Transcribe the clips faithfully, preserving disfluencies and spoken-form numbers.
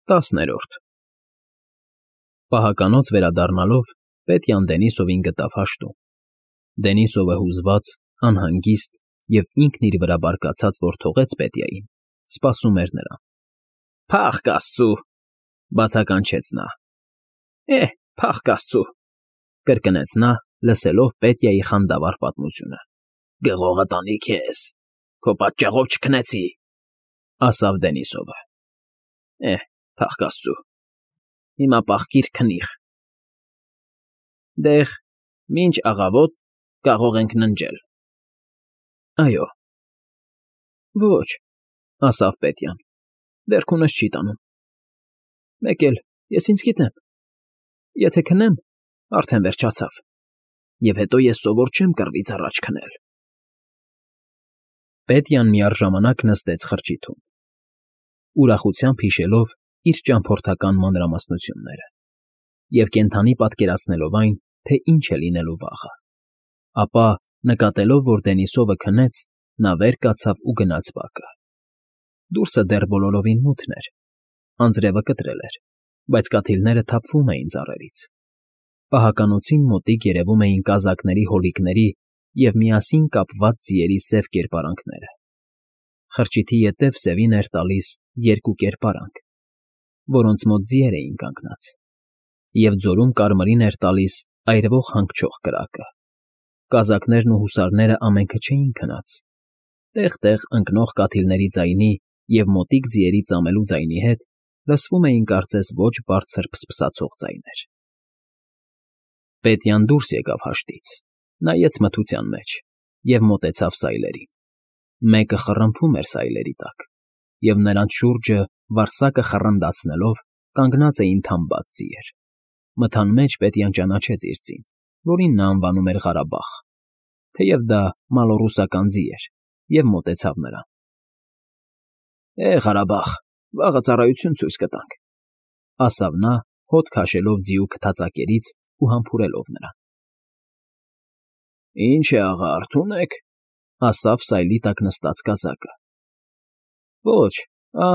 Տասներորդ Պահականոց վերադառնալով Պետյան Դենիսովին գտավ հաշտում։ Դենիսովը հուզված, անհանգիստ և ինքն իր վրա բարկացած, որ թողեց Պետյային, սպասում էր նրան։ ֊ Փառք աստծո,֊ բացականչեց նա։ ֊ Էհ, փառք աստծո,֊ կրկնեց նա, լսելով Պետյայի խանդավառ պատմությունը։ ֊ Գողը տանի քեզ, քո պատճառով չքնեցի,֊ ասավ Դենիսովը։ ֊ Էհ, փառք աստծո, հիմա պաղկիր քնիր։ ֊ Դե՛հ, մինչ աղավոտ կարող ենք ննջել։ ֊ Այո։ ֊ Ոչ,֊ ասավ Պետյան,֊ դեռ քունս չի տանում։ ֊ Մեկ էլ ես ինձ գիտեմ. եթե քնեմ, արդեն վերջացավ, և հետո ես սովոր չեմ կռվից առաջ քնել։ Պետյան միառժամանակ նստեց խրճիթում, ուրախությամբ հիշելով իր ճամփորդական մանրամասնությունները և կենդանի պատկերացնելով այն, թե ինչ է լինելու վաղը, ապա, նկատելով, որ Դենիսովը քնեց, նա վեր կացավ ու գնաց բակը։ Դուրսը դեռ բոլորովին մութն էր, անձրևը կտրել էր, բայց կաթիլները թափվում էին ծառերից։ Պահականոցին մոտիկ երևում էին կազակների հոլիկների և միասին կապված ձիերի սև կերպարանքները։ Խրճիթի ետև սևին էր տալիս երկու կերպարանք, որոնց մոտ ձիեր էին կանգնած, և ձորում կարմիրին էր տալիս այրվող հանգչող կրակը։ Կազակներն ու հուսարները ամենքը չէին քնած, տեղ֊տեղ ընկնող կաթիլների ձայնի և մոտիկ ձիերի ծամելու ձայնի հետ լսվում էին կարծես ոչ բարձր փսփսացող ձայներ։ Պետյան դուրս եկավ հաշտից, նայեց մթության մեջ և մոտեցավ սայլերին։ Մեկը խռմփում էր սայլերի տակ, և նրանց շուրջը, վարսակը խռնդացնելով, կանգնած էին թամբած ձիեր։ Մթան մեջ Պետյան ճանաչեց իր ձին, որին նա անվանում էր Ղարաբաղ, թեև դա մալոռուսական ձի էր, և մոտեցավ նրան։ ֊ Է, Ղարաբաղ, վաղը ծառայություն ցույց կտանք,֊ ասավ նա, հոտ քաշելով ձիու քթածակերից ու համբուրելով նրան։ ֊ Ինչ է, աղա, արթո՞ւն եք,֊ ասավ սայլի տակ նստած կազակը։ ֊ Ոչ, ա՛,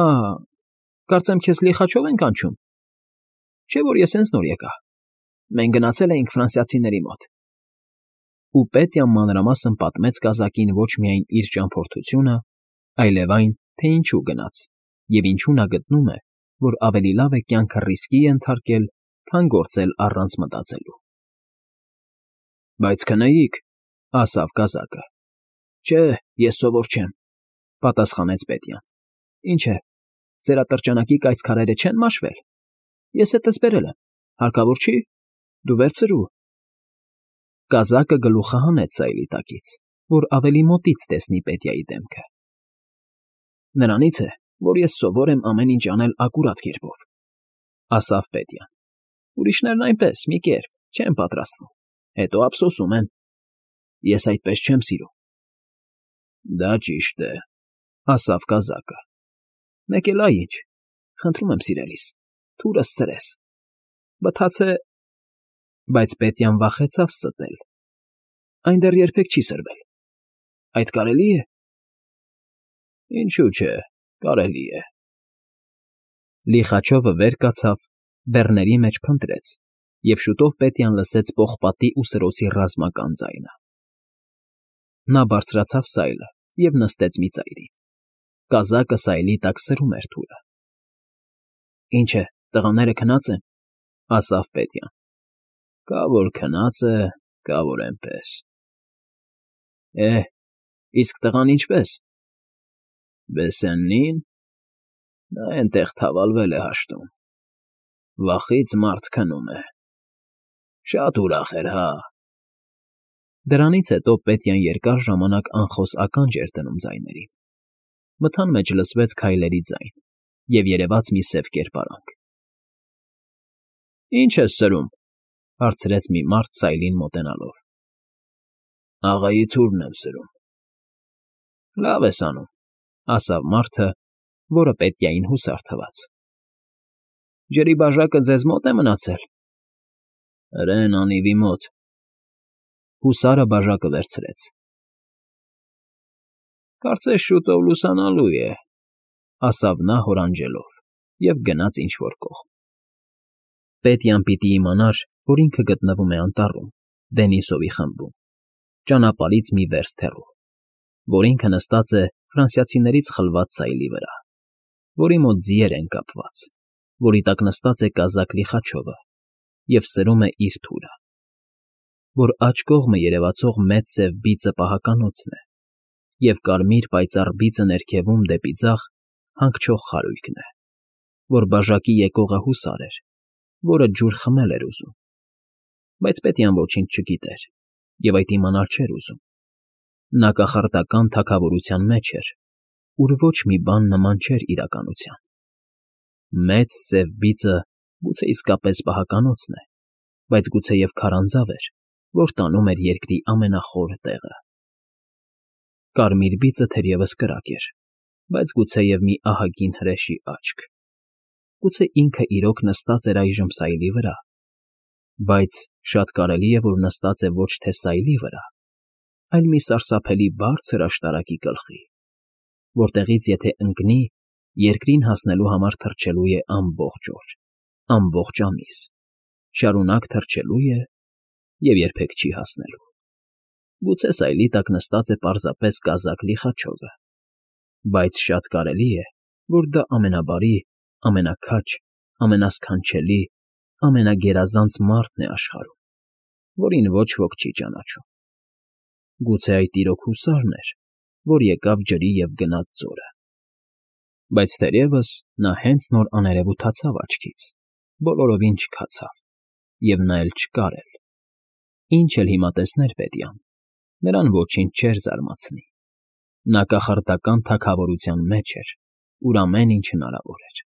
կարծեմ քեզ լիխաչո՞վ են կանչում։ Չէ՞ որ ես հենց նոր եկա, մենք գնացել էինք ֆրանսիացիների մոտ։ Ու Պետյան մանրամասն պատմեց կազակին ոչ միայն իր ճամփորդությունը, այլև այն, թե ինչու գնաց, և ինչու նա գտնում է, որ ավելի լավ է կյանքը ռիսկի ենթարկել, քան գործել առանց մտածելու։ ֊ Բայց քնեիք,֊ ասավ կազակը։ ֊ Չէ, ես սովոր չեմ,֊ պատասխանեց Պետյան։ ֊ Ինչ է, ձեր ատրճանակի կայծ քարերը չեն մաշվել։ Ես հետս բերել եմ, հարկավոր չի, դու վերցրու։ Կազակը գլուխը հանեց սայլի տակից, որ ավելի մոտից տեսնի Պետյայի դեմքը։ ֊ Նրանից է, որ ես սովոր եմ ամեն ինչ անել ակուրատ կերպով,֊ ասավ Պետյան։ Ուրիշներն այնպես, մի կերպ, չեն պատրաստվում, հետո ափսոսում են։ Ես այդպես չեմ սիրում։ ֊ Դա ճիշտ է,֊ ասավ կազակը։ ֊ Մեկ էլ այ ինչ, խնդրում եմ սիրելիս, թուրս ցրես, բթաց է… Բայց Պետյան վախեցավ ստել։ Այն դեռ երբեք չի սրվել, այդ կարելի է։ ֊ Ինչու՞ չէ, կարելի է։ Լիխաչովը վեր կացավ, բեռների մեջ փնտրեց, և շուտով Պետյան լսեց պողպատի ու սրոցի ռազմական ձայնը։ Նա բարձրացավ սայլը և նստեց մի ծայրին։ Կազակը սայլի տակ սրում էր թուրը։ ֊ Ինչ է, տղաները քնա՞ծ են,֊ ասավ Պետյան։ ֊ Կա որ քնած է, կա որ էնպես։ ֊ Է, իսկ տղան ինչպե՞ս։ ֊ Բեսեննի՞ն։ Նա էնտեղ թավալվել է հաշտում, վախից մարդ քնում է, շատ ուրախ էր, հա… Դրանից հետո Պետյան երկար ժամանակ անխոս ականջ էր դնում ձայներին։ Մթան մեջ լսվեց քայլերի ձայն և երևաց մի սև կերպարանք։ ֊ Ի՞նչ ես սրում,֊ հարցրեց մի մարդ սայլին մոտենալով։ ֊ Աղայի թուրն եմ սրում։ ֊ Լավ ես անում,֊ ասավ մարդը, որը Պետյային հուսար թվաց։ ֊ Ջրի բաժակը ձեզ մո՞տ է մնացել։ ֊ Հրեն անիվի մոտ։ Հուսարը բաժակը վերցրեց։ ֊ Կարծես շուտով լուսանալու է,֊ ասավ նա հորանջելով։ և գնաց ինչ֊որ կողմ։ Պետյան պիտի իմանար, որ ինքը գտնվում է անտառում, Դենիսովի խմբում, ճանապարհից մի վերստ հեռու, որ ինքը նստած է ֆրանսիացիներից խլված սայլի վրա, որի մոտ ձիեր են կապված, որի տակ նստած է կազակ Լիխաչովը և սրում է իր թուրը, որ աջ կողմը երևացող մեծ սև բիծը պահականոցն է, և կարմիր պայծառ բիծը ներքևում դեպի ձախ հանգչող խարույկն է, որ բաժակի եկողը հուսար էր, որը ջուր խմել էր ուզում, բայց Պետյան ոչինչ չգիտեր և այդ իմանալ չէր ուզում. նա կախարդական թագավորության մեջ էր, ուր ոչ մի բան նման չէր իրականության։ Մեծ սև բիծը գուցե իսկապես պահականոցն է, բայց գուցեև քարանձավ էր, որ տանում էր երկրի ամենախոր տեղը։ Կարմիր բիծը թերևս կրակ էր, բայց գուցեև մի ահագին հրեշի աչք, գուցե ինքը իրոք նստած էր այժմ սայլի վրա, բայց շատ կարելի է, որ նստած է ոչ թե սայլի վրա, այլ մի սարսափելի բարձր աշտարակի գլխի, որտեղից եթե ընկնի, երկրին հասնելու համար թռչելու է ամբողջ օր, ամբողջ ամիս, շարունակ թռչելու է և երբեք չի հասնելու։ Գուցե սայլի տակ նստած է պարզապես կազակ Լիխաչովը, բայց շատ կարելի է, որ դա ամենաբարի, ամենաքաջ, ամենասքանչելի, ամենագերազանց մարդն է աշխարհում, որին ոչ ոք չի ճանաչում։ Գուցե այդ իրոք հուսարն էր, որ եկավ ջրի և գնաց ձորը։ Բայց թերևս նա հենց նոր աներևութացավ աչքից, բոլորովին չքացավ, և նա էլ չկար էլ։ Ինչ էլ հիմա տեսներ Պետյան, նրան ոչինչ չէր զարմացնի։ Նա կախարդական թագավորության մեջ էր, ուր ամեն ինչ հնարավոր էր։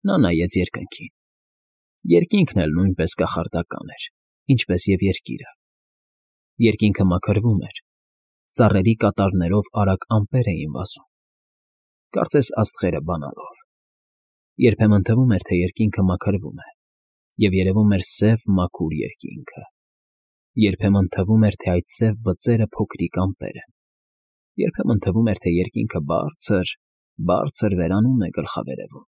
Նա նայեց երկնքին։ Երկինքն էլ նույնպես կախարդական էր, ինչպես և երկիրը։ Երկինքը մաքրվում էր, ծառերի կատարներով արագ ամպեր էին վազում, կարծես աստղերը բանալով։ Երբեմն թվում էր, թե երկինքը մաքրվում է, և երևում էր սև, մաքուր երկինքը։ Երբեմն թվում էր, թե այդ սև բծերը փոքրիկ ամպեր են։ Երբեմն թվում էր, թե երկինքը բարձր, բարձր վերանում է գլխավերևում։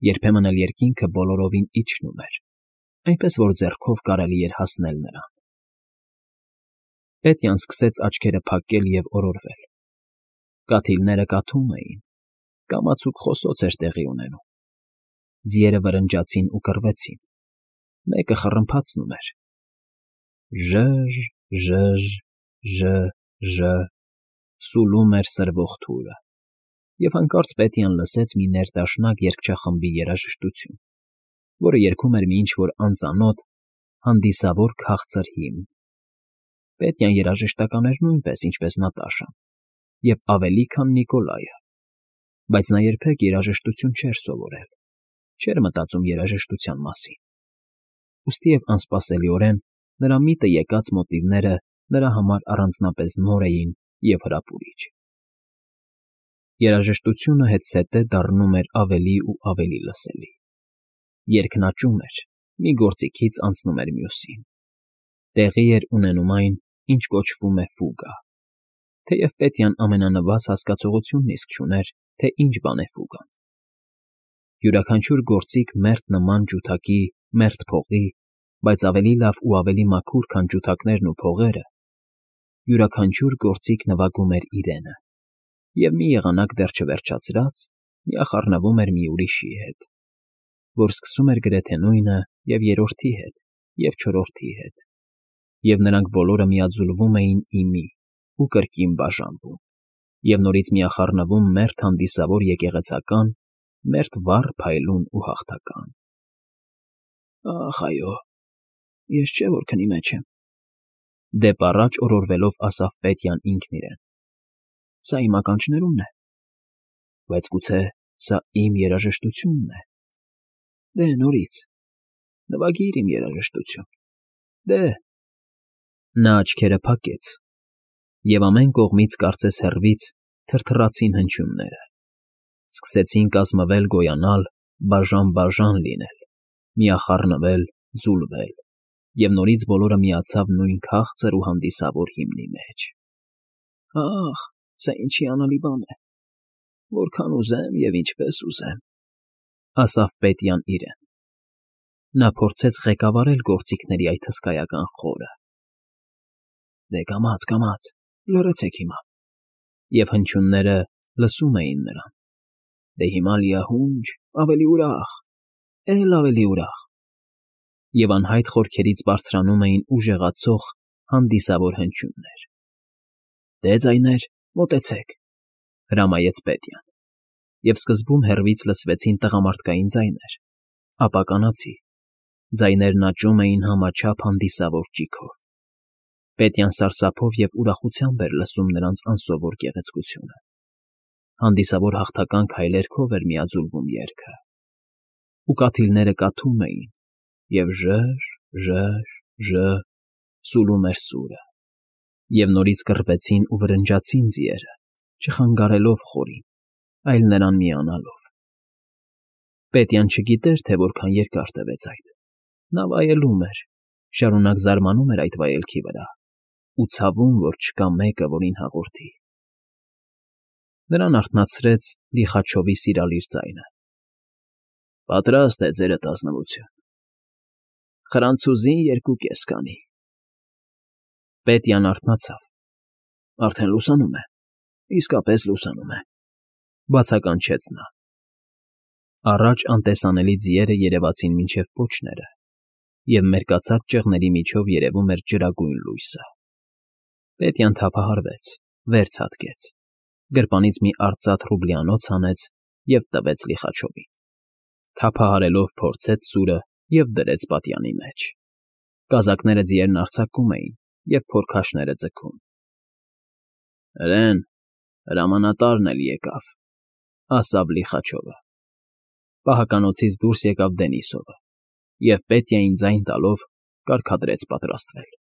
Երբեմն էլ երկինքը բոլորովին իջնում էր, այնպես որ ձեռքով կարելի էր հասնել նրան։ Պետյան սկսեց աչքերը փակել և օրորվել։ Կաթիլները կաթում էին, կամացուկ խոսոց էր տեղի ունենում։ Ձիերը վրնջացին ու կռվեցին, մեկը խռմփացնում էր. ժը՜ժ, ժը՜ժ, ժը՜, ժը՜, սուլում էր սրվող թուրը, և հանկարծ Պետյան լսեց մի ներդաշնակ երգչախմբի երաժշտություն, որը երգում էր մի ինչ֊որ անծանոթ, հանդիսավոր քաղցր հիմն։ Պետյան երաժշտական էր նույնպես, ինչպես Նատաշան, և ավելի, քան Նիկոլայը, բայց նա երբեք երաժշտություն չէր սովորել, չէր մտածում երաժշտության մասին, ուստիև անսպասելիորեն նրա միտը եկած մոտիվները նրա համար առանձնապես նոր էին և հրապուրիչ։ Երաժշտությունը հետզհետե դառնում էր ավելի ու ավելի լսելի։ Երգն աճում էր, մի գործիքից անցնում էր մյուսին։ Տեղի էր ունենում այն, ինչ կոչվում է ֆուգա, թեև Պետյան ամենանվազ հասկացողությունն իսկ չուներ, թե ինչ բան է ֆուգան։ Յուրաքանչյուր գործիք մերթ նման ջութակի, մերթ փողի, բայց ավելի լավ ու ավելի մաքուր, քան ջութակներն ու փողերը, յուրաքանչյուր գործիք նվագում էր իրենը, և մի եղանակ դեռ չվերջացրած, միախառնվում էր մի ուրիշի հետ, որ սկսում էր գրեթե նույնը և երրորդի հետ, և չորրորդի հետ, և նրանք բոլորը միաձուլվում էին ի մի ու կրկին բաժանվում, և նորից միախառնվում մերթ հանդիսավոր եկեղեցական, մերթ վառ փայլուն ու հաղթական։ «Ախ, այո, ես չէ որ քնի մեջ եմ,֊ դեպ առաջ օրորվելով ասավ Պետյան ինքն իրեն,֊ սա իմ ականջներումն է, բայց գուցե սա իմ երաժշտությունն է։ Դե, նորից, նվագիր իմ երաժշտություն, դե…»։ Նա աչքերը փակեց, և ամեն կողմից, կարծես հեռվից, թրթռացին հնչյունները, սկսեցին կազմվել, գոյանալ, բաժան֊բաժան լինել, միախառնվել, ձուլվել, և նորից բոլորը միացավ նույն քաղցր ու հանդիսավոր հիմնի մեջ։ «Ախ, սա ինչ հիանալի բան է, որքան ուզեմ և ինչպես ուզեմ,֊ ասավ Պետյան իրեն։ Նա փորձեց ղեկավարել գործիքների այդ հսկայական խորը։ Դե կամաց, կամաց, լռեցեք հիմա։ Եվ հնչյունները լսում էին նրան։ Դե հիմա լիահունչ, ավելի ուրախ, էլ ավելի ուրախ։ Եվ անհայտ խորքերից բարձրանում էին ուժեղացող հանդիսավոր հնչյուններ։ Դե ձայներ, մոտեցեք, հրամայեց Պետյան։ Եվ սկզբում հեռվից լսվեցին տղամարդկային ձայներ, ապա կանացի։ Ձայներն աճում էին համաչափ հանդիսավոր ճիգով։ Պետյան սարսափով և ուրախությամբ էր լսում նրանց անսովոր գեղեցկությունը։ Հանդիսավոր հաղթական քայլերքով էր միաձուլվում երգը։ Ու կաթիլները կաթում էին, և ժը՛ժ, ժը՛ժ, ժը՛, սուլում էր սուրը։ Եվ նորից կռվեցին ու վրնջացին ձիերը, չխանգարելով խորին, այլ նրան միանալով։ Պետյան չգիտեր, թե որքան երկար տևեց այդ։ Նա վայելում էր, շարունակ զարմանում էր այդ վայելքի վրա ու ցավում, որ չկա մեկը, որին հաղորդի։ Նրան արթնացրեց Լիխաչովի սիրալիր ձայնը։ Պատրաստ է ձերդ ազնվություն։ Խրանցուզին երկու կես կանի։ Պետյան արթնացավ։ Արդեն լուսանում է, իսկապես լուսանում է, բացականչեց նա։ Առաջ անտեսանելի ձիերը երևացին մինչև պոչները, և մերկացած ճեղների միջով երևում էր ջրագույն լույսը։ Պետյան թափահարվեց, վեր ցատկեց, գրպանից մի արծաթ ռուբլյանոց հանեց և տվեց Լիխաչովին։ Թափահարելով փորձեց սուրը և դրեց պատյանի մեջ։ Կազակները ձիերն արձակում էին և փորքաշները ձգում։ Հրեն, հրամանատարն էլ եկավ, ասավ Լիխաչովը։ Պահականոցից դուրս եկավ Դենիսովը և Պետյային ձայն տալով կարգադրեց պատրաստվել։